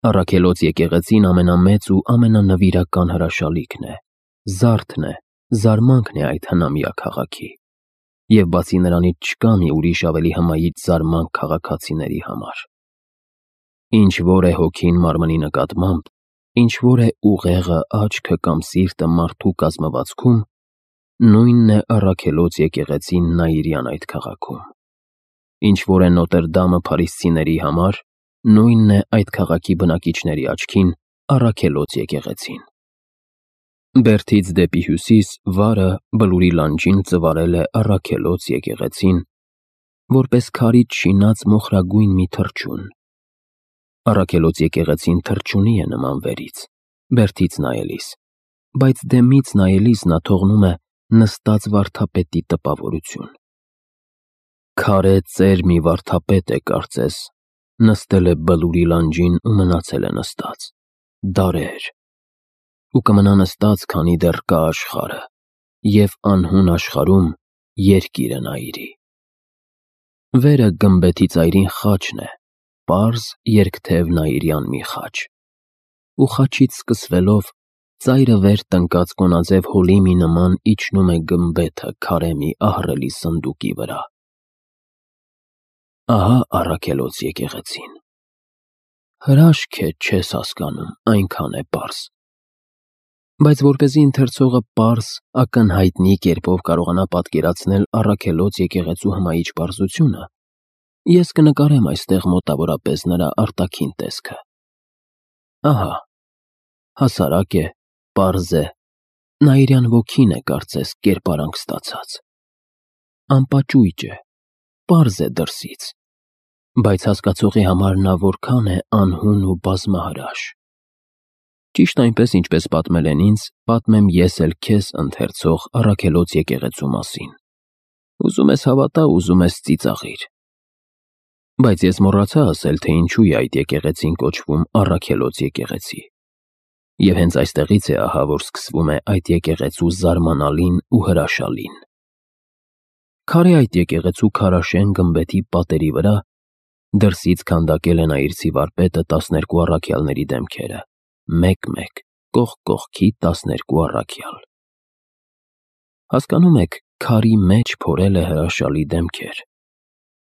Առաքելոց եկեղեցին ամենամեծ ու ամենանվիրական հրաշալիքն է, զարդն է, զարմանքն է այդ հնամյա քաղաքի, և բացի նրանից չկա մի ուրիշ ավելի հմայիչ զարմանք քաղաքացիների համար։ Ինչ որ է հոգին մարմնի նկատմամբ, ինչ որ է ուղեղը, աչքը կամ սիրտը մարդու կազմվածքում, նույնն է առաքելոց եկեղեցին Նաիրյան այդ քաղաքում։ Ինչ որ է Նոտր Դամը փարիսցիների համար, նույնն է այդ քաղաքի բնակիչների աչքին առաքելոց եկեղեցին։ Բերդից դեպի հյուսիս վարը Բլուրի լանջին ծվարել է առաքելոց եկեղեցին, որպես քարից շինած մոխրագույն մի թռչուն։ Առաքելոց եկեղեցին թռչունի է նման վերից, բերդից նայելիս, բայց դեմից նայելիս նա թողնում է նստած վարդապետի տպավորություն։ Քարե ծեր մի վարդապետ է, կարծես, նստել է Բլուրի լանջին ու մնացել է նստած, դարեր, ու կմնա նստած, քանի դեռ կա աշխարհը, և անհուն աշխարհում երկիրը Նաիրի։ Վերը գմբեթի ծայրին խաչն է, պարզ երկթև Նաիրյան մի խաչ, ու խաչից սկսվելով ծայրը վեր տնկած կոնաձև հոլի մի նման իջնում է գմբեթը քարե մի ահռելի սնդուկի վրա։ Ահա առաքելոց եկեղեցին։ Հրաշք է, չես հասկանում, այնքան է պարզ։ Բայց որպեսզի ընթերցողը պարզ, ակնհայտնի կերպով կարողանա պատկերացնել առաքելոց եկեղեցու հմայիչ պարզությունը, ես կնկարեմ այստեղ մոտավորապես նրա արտաքին տեսքը։ Ահա, հասարակ է, պարզ է, Նաիրյան ոգին է, կարծես, կերպարանք ստացած։ Անպաճույճ է, պարզ է դրսից, բայց հասկացողի համար նա որքան է անհուն ու բազմահրաշ։ Ճիշտ այնպես, ինչպես պատմել են ինձ, պատմեմ ես էլ քեզ, ընթերցող, առաքելոց եկեղեցու մասին։ Ուզում ես հավատա, ուզում ես ծիծաղիր։ Բայց ես մոռացա ասել, թե ինչու է այդ եկեղեցին կոչվում առաքելոց եկեղեցի։ Եվ հենց այստեղից է ահա, որ սկսվում է այդ եկեղեցու զարմանալին ու հրաշալին։ Քարե այդ եկեղեցու քարաշեն գմբեթի պատերի վրա դրսից քանդակել է նայիրցի վարպետը 12 առաքյալների դեմքերը, մեկ-մեկ, կողք կողքի 12 առաքյալ։ Հասկանում եք, քարի մեջ փորել է հրաշալի դեմքեր։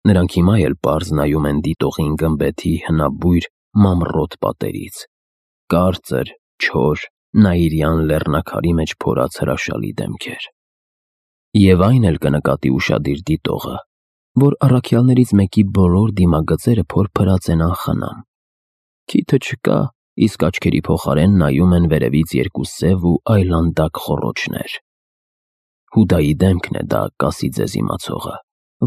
Նրանք հիմա էլ պարզ նայում են դիտողին գմբեթի հնաբույր մամռոտ պատերից, կարծր, չոր, Նաիրյան լեռնաքարի մեջ փորած հրաշալի դեմքեր։ Եվ այն էլ կնկատի ուշադիր դիտողը, որ առաքյալներից մեկի բոլոր դիմագծերը փորփրած են անխնամ։ Քիթը չկա, իսկ աչքերի փոխարեն նայում են վերևից երկու սև ու այլանդակ խոռոչներ։ Հուդայի դեմքն է դա, կասի ձեզ իմացողը,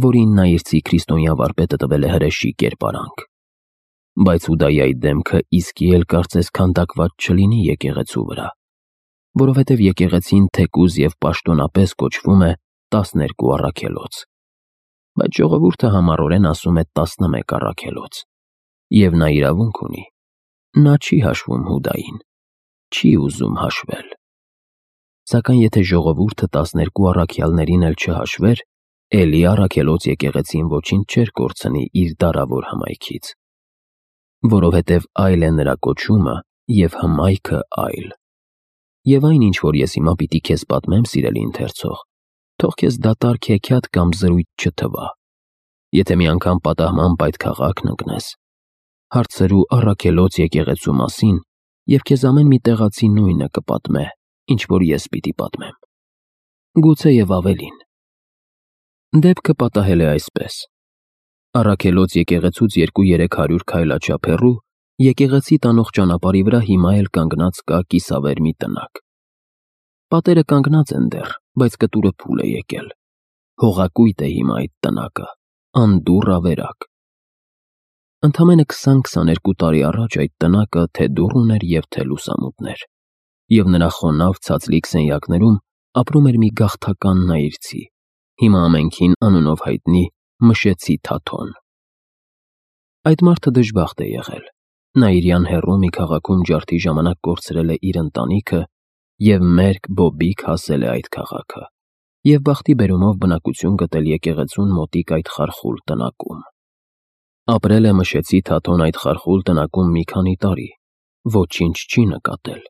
որին նայիրցի քրիստոնյա վարպետը տվել է հրեշի կերպարանք։ Բայց Հուդայի այդ դեմքը իսկի էլ կարծես քանդակված չլինի եկեղեցու վրա, որովհետև եկեղեցին թեկուզ և պաշտոնապես կոչվում է 12 առաքելոց, բայց ժողովուրդը համառորեն ասում է 11 առաքելոց, և նա իրավունք ունի, նա չի հաշվում Հուդային, չի ուզում հաշվել։ Սակայն եթե ժողովուրդը 12 առաքյալներին էլ չհաշվեր, էլի առաքելոց եկեղեցին ոչինչ չէր կորցնի իր դարավոր հմայքից, որովհետև այլ է նրա կոչումը և հմայքը այլ։ Եվ այն, ինչ որ ես հիմա պիտի քեզ պատմեմ, սիրելի ընթերցող, թող քեզ դատարկ հեքիաթ կամ զրույց չթվա։ Եթե մի անգամ պատահմամբ այդ քաղաքն ընկնես, հարցրու առաքելոց եկեղեցու մասին, և քեզ ամեն մի տեղացի նույնը կպատմե, ինչ որ ես պիտի պատմեմ։ Գուցե և ավելին։ Դեպքը պատահել է այսպես. առաքելոց եկեղեցուց 200-300 քայլաչափ հեռու եկեղեցի տանող ճանապարհի վրա հիմա էլ կանգնած կա կիսավեր մի տնակ։ Պատերը կանգնած են դեռ, բայց կտուրը փուլ է եկել։ Հողակույտ է հիմա այդ տնակը, անդուռ ավերակ։ Ընդամենը 20-22 տարի առաջ այդ տնակը թե դուռ ուներ և թե լուսամուտներ, և նրա խոնավ ցածլիկ սենյակներում ապրում էր մի գաղթական նայիրցի, հիմա ամենքին անունով հայտնի Մշեցի Թաթոն։ Այդ մարդը դժբախտ է եղել։ Նաիրյան հեռու մի քաղաքում ջարդի ժամանակ կորցրել է իր ընտանիքը և մերկ բոբիկ հասել է այդ քաղաքը և բախտի բերումով բնակություն գտել եկեղեցուն մոտիկ այդ խարխուլ տնակում։ Ապրել է մշեցի Թաթոն այդ խարխուլ տնակում մի քանի տարի, ոչինչ չի նկատել։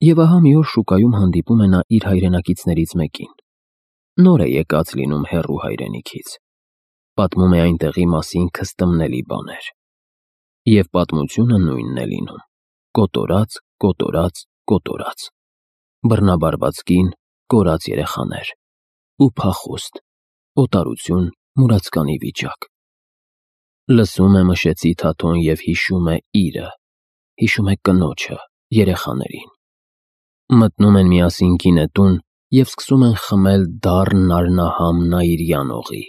Եվ ահա մի օր շուկայում հանդիպում է նա իր հայրենակիցներից մեկին։ Նոր է եկած լինում հեռու հայրենիքից։ Պատմում է այնտեղի մասին քստմնելի բաներ։ Եվ պատմությունը նույնն է լինում. կոտորած, կոտորած, կոտորած, բռնաբարված կին, կորած երեխաներ, ու փախուստ, օտարություն, մուրացկանի վիճակ։ Լսում է մշեցի Թաթոն և հիշում է իրը, հիշում է կնոջը, երեխաներին։ Մտնում են միասին գինետուն և սկսում են խմել դառն արնահամ նայիրյան օղի։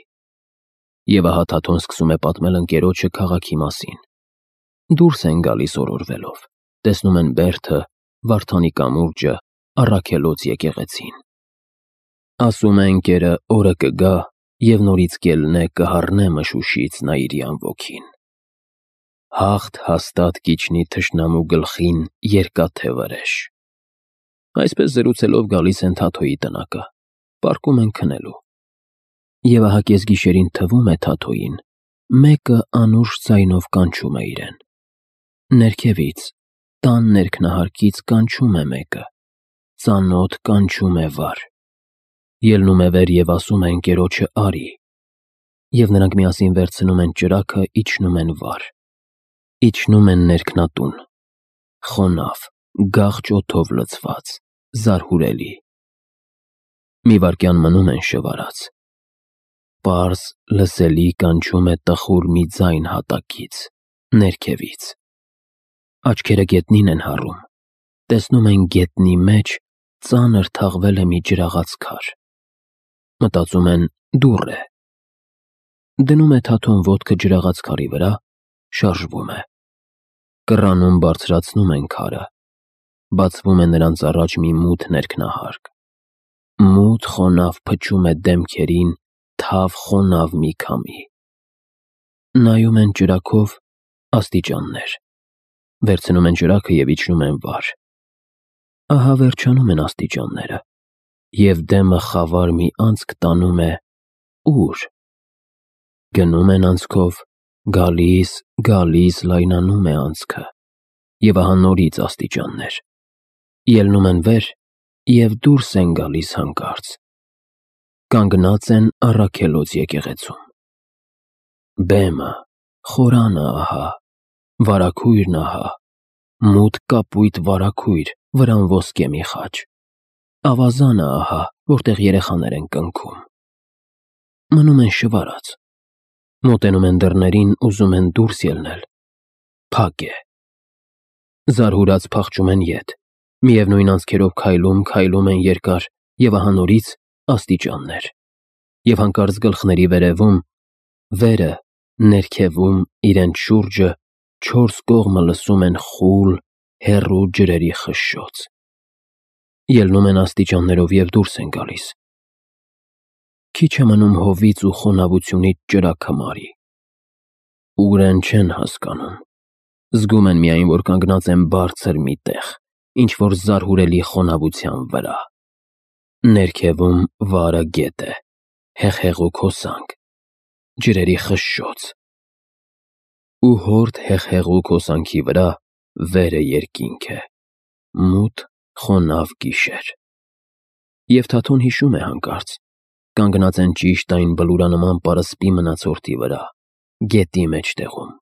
Եվ ահա Թաթոն սկսում է պատմել ընկերոջը քաղաքի մասին։ Դուրս են գալիս օրորվելով, տեսնում են Բերդը, Վարդանի կամուրջը, Առաքելոց եկեղեցին։ Ասում է ընկերը օրը կգա, և նորից կելնե կհառնե մշուշից նայիրյան ոգին։ Հաղթ հաստատ կիջնի թշնամու գլխին երկաթե վրեժ։ Այսպես զրուցելով գալիս են Թաթոյի տնակը, պառկում են քնելու։ Եվ ահա կեսգիշերին թվում է Թաթոյին, մեկը անուշ ձայնով կանչում է իրեն։ Ներքևից, տան ներքնահարկից կանչում է մեկը, ծանոթ կանչում է վար։ Ելնում է վեր և ասում է ընկերոջը արի։ Եվ նրանք միասին վերցնում են ճրագը, իջնում են վար։ Իջնում են ներքնատուն, խոնավ, գաղջ օդով լցված, զարհուրելի։ Մի վայրկյան մնում են շվարած։ Պարզ լսելի կանչում է տխուր մի ձայն հատակից, ներքևից։ Աչքերը գետնին են հառում, տեսնում են գետնի մեջ ծանր թաղվել է մի ջրաղաց քար։ Մտածում են դուռ է։ Դնում է Թաթոն ոտքը ջրաղաց քարի վրա, շարժվում է։ Կռանում բարձրացնում են քարը, բացվում է նրանց առաջ մի մութ ներքնահարկ։ Մութ խոնավ փչում է դեմքերին թավ խոնավ մի քամի։ Նայում են ճրագով աստիճաններ։ Վերցնում են ճրագը և իջնում են վար։ Ահա վերջանում են աստիճանները, և դեմը խավար մի անցք տանում է ուր։ Գնում են անցքով, գալիս, գալիս լայնանում է անցքը, և ահա նորից աստիճաններ։ Ելնում են վեր և դուրս են գալիս հանկարծ։ Կանգնած են Առաքելոց եկեղեցում։ Բեմը, խորանը ահա, վարագույրն ահա, մութ կապույտ վարագույր, վրան ոսկե մի խաչ։ Ավազանը ահա, որտեղ երեխաներ են կնքում։ Մնում են շվարած։ Մոտենում են դռներին, ուզում են դուրս ելնել։ Փակ է։ Զարհուրած փախչում են ետ։ Միևնույն անցքերով քայլում են երկար, և ահա նորից աստիճաններ։ Եվ հանկարծ գլխների վերևում, վերը, ներքևում, իրենց շուրջը, չորս կողմը լսում են խուլ, հեռու ջրերի խշշոց։ Ելնում են աստիճաններով և դուրս են գալիս։ Քիչ է մնում հովից ու խոնավությունից ճրագը մարի։ Ուր են չեն հասկանում։ Զգում են միայն, որ կանգնած են բարձր մի տեղ, ինչ-որ զարհուրելի խոնավության վրա։ Ներքևում վարը գետ է, հեղհեղուկ հոսանք, ջրերի խշշոց։ Ու հորդ հեղհեղուկ հոսանքի վրա վերը երկինք է, մութ խոնավ գիշեր։ Եվ Թաթոն հիշում է հանկարծ, կանգնած են ճիշտ այն բլուրանման պարսպի մնացորդի վրա, գետի մեջտեղում։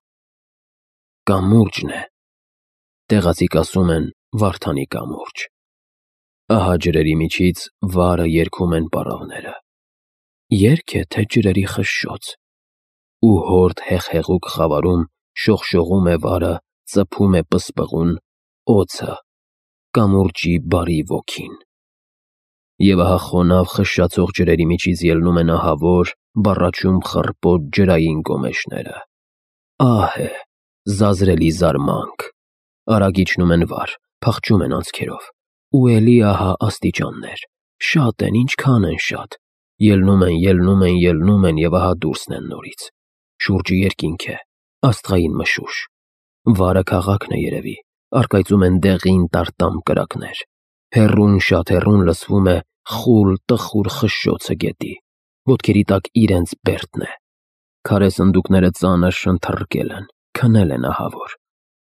Կամուրջն է։ Տեղացիք ասում են Վարդանի կամուրջ։ Ահա ջրերի միջից վարը երգում են պառավները։ Երգ է, թե ջրերի խշշոց։ Ու հորդ հեղհեղուկ խավարում շողշողում է վարը, ծփում է պսպղուն, օձը, կամուրջի բարի ոգին։ Եվ ահա խոնավ խշշացող ջրերի միջից ելնում են ահավոր, բառաչում խռպոտ ջրային գոմեշները։ Ահ է, զազրելի զարմանք։ Արագ իջնում են վար, փախչում են անցքերով։ Ու էլի ահա աստիճաններ։ Շատ են, ինչքան են շատ։ Ելնում են և ահա դուրսն են նորից։ Շուրջը երկինք է, աստղային մշուշ։ Վարը քաղաքն է երևի, առկայծում են դեղին տարտամ կրակներ։ Հեռուն, շատ հեռուն լսվում է խուլ տխուր խշշոցը գետի, ոտքերի տակ իրենց Բերդն է։ Քարե սնդուկները ծանր շնթռկել են, քնել են ահավոր,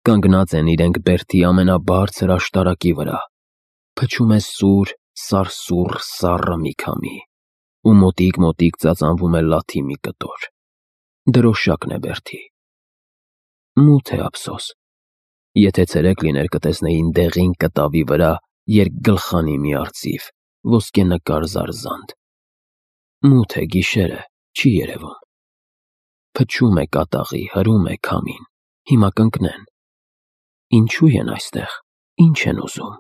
կանգնած են իրենք բերդի ամենաբարձր աշտարակի վրա, փչում է սուր, սարսուռ սառը մի քամի, ու մոտիկ ծածանվում է լաթի մի կտոր, դրոշակն է բերդի։ Մութ է ափսոս, եթե ցերեկ լիներ կտեսնեին դեղին կտավի վրա երկգլխանի մի արծիվ, ոսկենկար զարզանտ։ Մութ է, գիշեր է, չի երևում։ Փչում է կատաղի, հրում է քամին, հիմա կընկնեն։ Ինչու են այստեղ, ինչ են ուզում։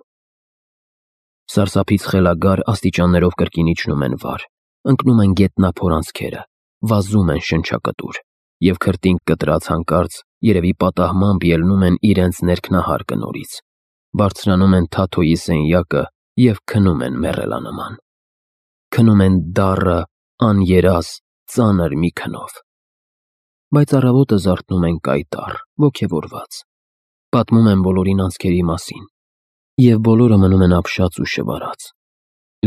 Սարսափից խելագար աստիճաններով կրկին իջնում են վար, ընկնում են գետնափոր անցքերը, վազում են շնչակտուր, և քրտինք կտրած հանկարծ երևի պատահմամբ ելնում են իրենց ներքնահարկը նորից, բարձրանում են Թաթոյի սենյակը և քնում են մեռելանման։ Քնում են դառը, աներազ, ծանր մի քնով։ Բայց առավոտը զարթնում են կայտառ, ոգևորված, պատմում են բոլորին անցքերի մասին, և բոլորը մնում են ապշած ու շվարած։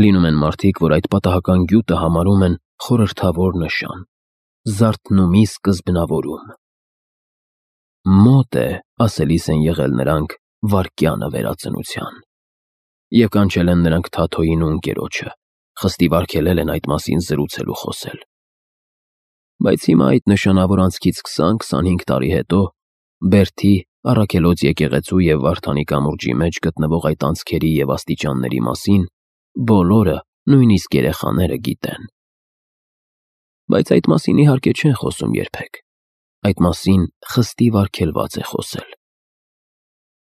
Լինում են մարդիկ, որ այդ պատահական գյուտը համարում են խորհրդավոր նշան, զարթնումի սկզբնավորում։ Մոտ է, ասելիս են եղել նրանք, վայրկյանը վերածնության։ Եվ կանչել են նրանք Թաթոյին ու ընկերոջը, խստիվ արգելել են այդ մասին զրուցել ու խոսել։ Բայց հիմա այդ նշանավոր անցքից 20-25 տարի հետո բերդի, Առաքելոց եկեղեցու և Վարդանի կամուրջի մեջ գտնվող այդ անցքերի և աստիճանների մասին բոլորը, նույնիսկ երեխաները գիտեն։ Բայց այդ մասին իհարկե չեն խոսում երբեք, այդ մասին խստիվ արգելված է խոսել։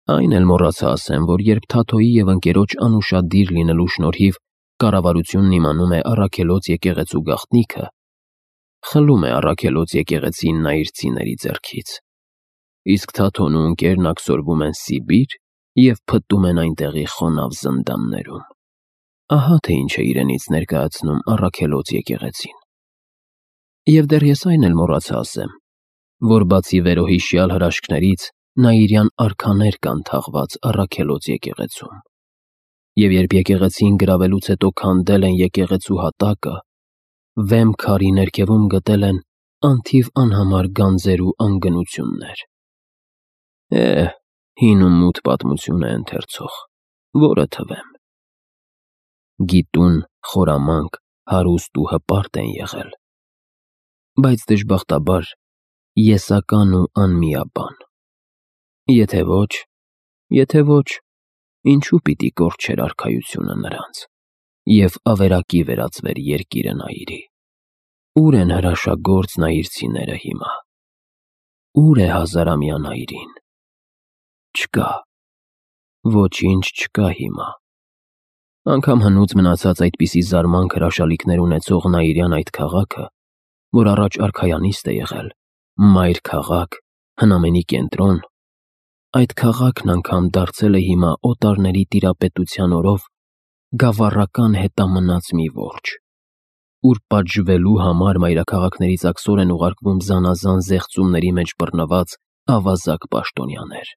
Այն էլ մոռացա ասեմ, որ երբ Թաթոյի և ընկերոջ անուշադիր լինելու շնորհիվ կառավարությունն իմանում է Առաքելոց եկեղեցու գաղտնիքը, խլում է Առաքելոց եկեղեցին նայիրցիների ձեռքից, իսկ Թաթոն ու ընկերն աքսորվում են Սիբիր և փտում են այնտեղի խոնավ զնդաններում։ Ահա թե ինչ է իրենից ներկայացնում Առաքելոց եկեղեցին։ Եվ դեռ ես այն էլ մոռացա ասեմ, որ բացի վերոհիշյալ հրաշքներից նայիրյան արքաներ կան թաղված Առաքելոց եկեղեցում։ Եվ երբ եկեղեցին գրավելուց հետո քանդել են եկեղեցու հատակը, վեմ քարի ներքևում գտել են անթիվ անհամար գանձեր ու անգնություններ։ Հին ու մութ պատմություն է ընթերցող, որը թվեմ։ Գիտուն, խորամանկ, հարուստ ու հպարտ են եղել, բայց դժբախտաբար եսական ու անմիաբան։ Եթե ոչ, ինչու պիտի կորչեր արքայությունը նրանց, և ավերակի վերածվեր երկիրը Նայիրի։ Ուր են հրաշագործ նայիրցիները հիմա։ Ուր է հազարամյա Նայիրին։ Չկա, ոչինչ չկա հիմա։ Անգամ հնուց մնացած այդպիսի զարմանք հրաշալիքներ ունեցող նայիրյան այդ քաղաքը, որ առաջ արքայանիստ է եղել, մայր քաղաք, հնամենի կենտրոն, այդ քաղաքն անգամ դարձել է հիմա օտարների տիրապետության օրով գավառական հետամնաց մի որջը, ուր պատժվելու համար մայրաքաղաքներից աքսոր են ուղարկվում զանազան զեղծումների մեջ բռնված ավազակ պաշտոնյաներ։